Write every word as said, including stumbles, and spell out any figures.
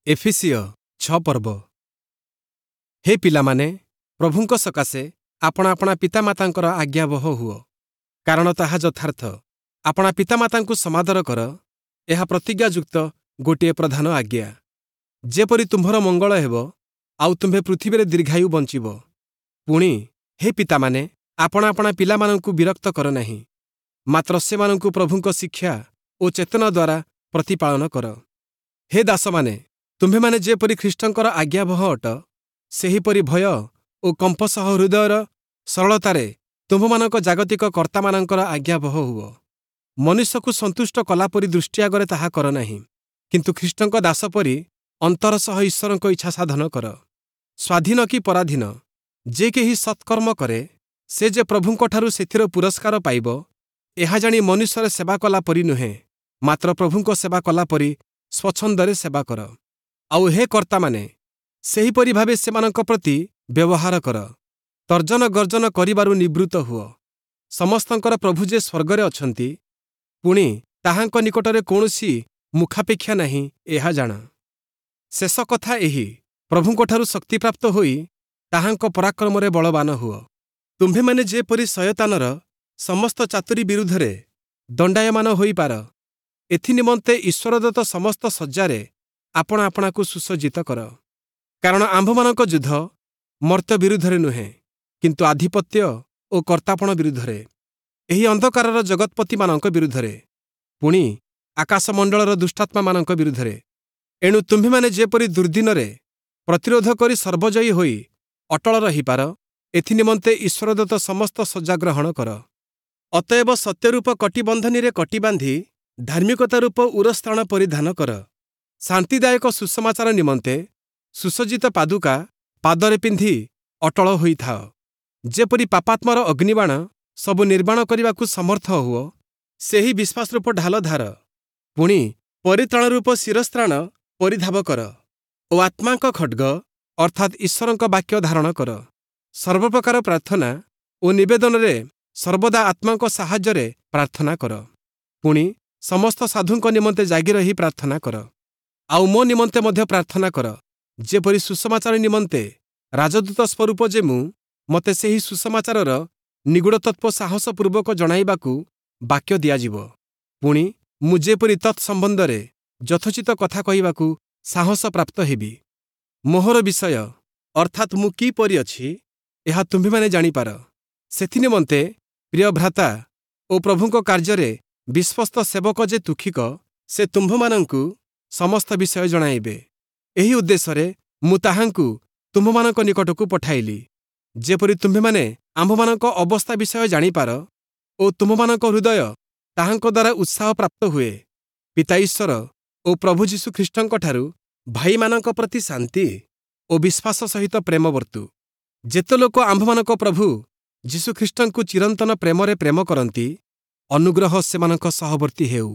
ଏଫିସୀୟ ଛଅ ପର୍ବ। ହେ ପିଲାମାନେ, ପ୍ରଭୁଙ୍କ ସକାଶେ ଆପଣା ଆପଣା ପିତାମାତାଙ୍କର ଆଜ୍ଞାବହ ହୁଅ, କାରଣ ତାହା ଯଥାର୍ଥ। ଆପଣା ପିତାମାତାଙ୍କୁ ସମାଦର କର, ଏହା ପ୍ରତିଜ୍ଞାଯୁକ୍ତ ଗୋଟିଏ ପ୍ରଧାନ ଆଜ୍ଞା, ଯେପରି ତୁମ୍ଭର ମଙ୍ଗଳ ହେବ, ଆଉ ତୁମ୍ଭେ ପୃଥିବୀରେ ଦୀର୍ଘାୟୁ ବଞ୍ଚିବ। ପୁଣି ହେ ପିତାମାନେ, ଆପଣା ଆପଣା ପିଲାମାନଙ୍କୁ ବିରକ୍ତ କର ନାହିଁ, ମାତ୍ର ସେମାନଙ୍କୁ ପ୍ରଭୁଙ୍କ ଶିକ୍ଷା ଓ ଚେତନା ଦ୍ୱାରା ପ୍ରତିପାଳନ କର। ହେ ଦାସମାନେ, ତୁମ୍ଭେମାନେ ଯେପରି ଖ୍ରୀଷ୍ଟଙ୍କର ଆଜ୍ଞାବହ ଅଟ, ସେହିପରି ଭୟ ଓ କମ୍ପ ସହ ହୃଦୟର ସରଳତାରେ ତୁମ୍ଭମାନଙ୍କ ଜାଗତିକ କର୍ତ୍ତାମାନଙ୍କର ଆଜ୍ଞାବହ ହୁଅ। ମନୁଷ୍ୟକୁ ସନ୍ତୁଷ୍ଟ କଲାପରି ଦୃଷ୍ଟି ଆଗରେ ତାହା କର ନାହିଁ, କିନ୍ତୁ ଖ୍ରୀଷ୍ଟଙ୍କ ଦାସ ପରି ଅନ୍ତର ସହ ଈଶ୍ୱରଙ୍କ ଇଚ୍ଛା ସାଧନ କର। ସ୍ୱାଧୀନ କି ପରାଧୀନ, ଯେ କେହି ସତ୍କର୍ମ କରେ, ସେ ଯେ ପ୍ରଭୁଙ୍କଠାରୁ ସେଥିର ପୁରସ୍କାର ପାଇବ, ଏହା ଜାଣି ମନୁଷ୍ୟର ସେବା କଲା ପରି ନୁହେଁ, ମାତ୍ର ପ୍ରଭୁଙ୍କ ସେବା କଲା ପରି ସ୍ୱଚ୍ଛନ୍ଦରେ ସେବା କର। ଆଉ ହେ କର୍ତ୍ତାମାନେ, ସେହିପରି ଭାବେ ସେମାନଙ୍କ ପ୍ରତି ବ୍ୟବହାର କର, ତର୍ଜନ ଗର୍ଜନ କରିବାରୁ ନିବୃତ୍ତ ହୁଅ। ସମସ୍ତଙ୍କର ପ୍ରଭୁ ଯେ ସ୍ୱର୍ଗରେ ଅଛନ୍ତି, ପୁଣି ତାହାଙ୍କ ନିକଟରେ କୌଣସି ମୁଖାପେକ୍ଷା ନାହିଁ, ଏହା ଜାଣ। ଶେଷ କଥା ଏହି, ପ୍ରଭୁଙ୍କଠାରୁ ଶକ୍ତିପ୍ରାପ୍ତ ହୋଇ ତାହାଙ୍କ ପରାକ୍ରମରେ ବଳବାନ ହୁଅ। ତୁମ୍ଭେମାନେ ଯେପରି ଶୟତାନର ସମସ୍ତ ଚାତୁରୀ ବିରୁଦ୍ଧରେ ଦଣ୍ଡାୟମାନ ହୋଇପାର, ଏଥିନିମନ୍ତେ ଈଶ୍ୱରଦତ୍ତ ସମସ୍ତ ସଜ୍ଜାରେ ଆପଣା ଆପଣାକୁ ସୁସଜ୍ଜିତ କର। କାରଣ ଆମ୍ଭମାନଙ୍କ ଯୁଦ୍ଧ ମର୍ତ୍ତ୍ୟ ବିରୁଦ୍ଧରେ ନୁହେଁ, କିନ୍ତୁ ଆଧିପତ୍ୟ ଓ କର୍ତ୍ତାପଣ ବିରୁଦ୍ଧରେ, ଏହି ଅନ୍ଧକାରର ଜଗତ୍ପତିମାନଙ୍କ ବିରୁଦ୍ଧରେ, ପୁଣି ଆକାଶମଣ୍ଡଳର ଦୁଷ୍ଟାତ୍ମାମାନଙ୍କ ବିରୁଦ୍ଧରେ। ଏଣୁ ତୁମ୍ଭେମାନେ ଯେପରି ଦୁର୍ଦ୍ଦିନରେ ପ୍ରତିରୋଧ କରି ସର୍ବଜୟୀ ହୋଇ ଅଟଳ ରହିପାର, ଏଥିନିମନ୍ତେ ଈଶ୍ୱରଦତ୍ତ ସମସ୍ତ ସଜ୍ଜା ଗ୍ରହଣ କର। ଅତଏବ ସତ୍ୟରୂପ କଟିବନ୍ଧନୀରେ କଟି ବାନ୍ଧି ଧାର୍ମିକତା ରୂପ ଉରସ୍ତ୍ରାଣ ପରିଧାନ କର। ଶାନ୍ତିଦାୟକ ସୁସମାଚାର ନିମନ୍ତେ ସୁସଜ୍ଜିତ ପାଦୁକା ପାଦରେ ପିନ୍ଧି ଅଟଳ ହୋଇଥାଅ, ଯେପରି ପାପାତ୍ମାର ଅଗ୍ନିବାଣ ସବୁ ନିର୍ବାଣ କରିବାକୁ ସମର୍ଥ ହୁଅ। ସେହି ବିଶ୍ୱାସରୂପ ଢାଲ ଧାର, ପୁଣି ପରିତ୍ରାଣ ରୂପ ଶିରସ୍ତ୍ରାଣ ପରିଧାବ କର ଓ ଆତ୍ମାଙ୍କ ଖଡ୍ଗ ଅର୍ଥାତ୍ ଈଶ୍ୱରଙ୍କ ବାକ୍ୟ ଧାରଣ କର। ସର୍ବପ୍ରକାର ପ୍ରାର୍ଥନା ଓ ନିବେଦନରେ ସର୍ବଦା ଆତ୍ମାଙ୍କ ସାହାଯ୍ୟରେ ପ୍ରାର୍ଥନା କର। ପୁଣି ସମସ୍ତ ସାଧୁଙ୍କ ନିମନ୍ତେ ଜାଗି ରହି ପ୍ରାର୍ଥନା କର। ଆଉ ମୋ ନିମନ୍ତେ ମଧ୍ୟ ପ୍ରାର୍ଥନା କର, ଯେପରି ସୁସମାଚାର ନିମନ୍ତେ ରାଜଦୂତ ସ୍ୱରୂପ ଯେ ମୁଁ, ମୋତେ ସେହି ସୁସମାଚାରର ନିଗୂଢ଼ତତ୍ତ୍ୱ ସାହସପୂର୍ବକ ଜଣାଇବାକୁ ବାକ୍ୟ ଦିଆଯିବ। ପୁଣି ମୁଁ ଯେପରି ତତ୍ ସମ୍ବନ୍ଧରେ ଯଥୋଚିତ କଥା କହିବାକୁ ସାହସ ପ୍ରାପ୍ତ ହେବି। ମୋହର ବିଷୟ ଅର୍ଥାତ୍ ମୁଁ କିପରି ଅଛି, ଏହା ତୁମ୍ଭେମାନେ ଜାଣିପାର। ସେଥିନିମନ୍ତେ ପ୍ରିୟ ଭ୍ରାତା ଓ ପ୍ରଭୁଙ୍କ କାର୍ଯ୍ୟରେ ବିଶ୍ୱସ୍ତ ସେବକ ଯେ ତୁକ୍ଷିକ, ସେ ତୁମ୍ଭମାନଙ୍କୁ ସମସ୍ତ ବିଷୟ ଜଣାଇବେ। ଏହି ଉଦ୍ଦେଶ୍ୟରେ ମୁଁ ତାହାଙ୍କୁ ତୁମ୍ଭମାନଙ୍କ ନିକଟକୁ ପଠାଇଲି, ଯେପରି ତୁମ୍ଭେମାନେ ଆମ୍ଭମାନଙ୍କ ଅବସ୍ଥା ବିଷୟ ଜାଣିପାର ଓ ତୁମ୍ଭମାନଙ୍କ ହୃଦୟ ତାହାଙ୍କ ଦ୍ୱାରା ଉତ୍ସାହ ପ୍ରାପ୍ତ ହୁଏ। ପିତା ଈଶ୍ୱର ଓ ପ୍ରଭୁ ଯୀଶୁ ଖ୍ରୀଷ୍ଟଙ୍କଠାରୁ ଭାଇମାନଙ୍କ ପ୍ରତି ଶାନ୍ତି ଓ ବିଶ୍ୱାସ ସହିତ ପ୍ରେମ ବର୍ତ୍ତୁ। ଯେତେ ଲୋକ ଆମ୍ଭମାନଙ୍କ ପ୍ରଭୁ ଯୀଶୁଖ୍ରୀଷ୍ଟଙ୍କୁ ଚିରନ୍ତନ ପ୍ରେମରେ ପ୍ରେମ କରନ୍ତି, ଅନୁଗ୍ରହ ସେମାନଙ୍କ ସହବର୍ତ୍ତୀ ହେଉ।